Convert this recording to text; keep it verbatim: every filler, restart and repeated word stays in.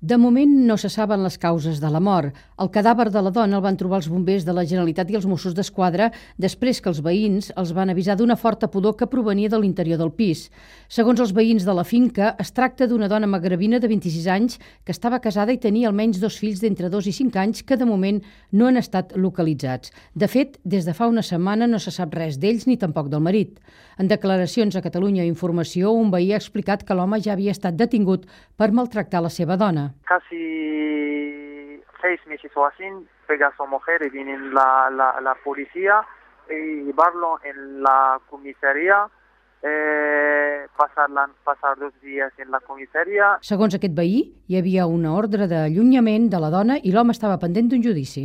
De moment no se saben les causes de la mort. El cadàver de la dona el van trobar els bombers de la Generalitat i els Mossos d'Esquadra després que els veïns els van avisar d'una forta pudor que provenia de l'interior del pis. Segons els veïns de la finca, es tracta d'una dona magrebina de vint-i-sis anys que estava casada i tenia almenys dos fills d'entre dos i cinc anys que de moment no han estat localitzats. De fet, des de fa una setmana no se sap res d'ells ni tampoc del marit. En declaracions a Catalunya Informació, un veí ha explicat que l'home ja havia estat detingut per maltractar la seva dona. Casi seis meses o así, pega a su mujer y viene la, la, la policía y llevarlo en la comisaría, eh, pasar, la, pasar dos dies en la comisaria. Segons aquest veí, hi havia una ordre d'allunyament de la dona i l'home estava pendent d'un judici.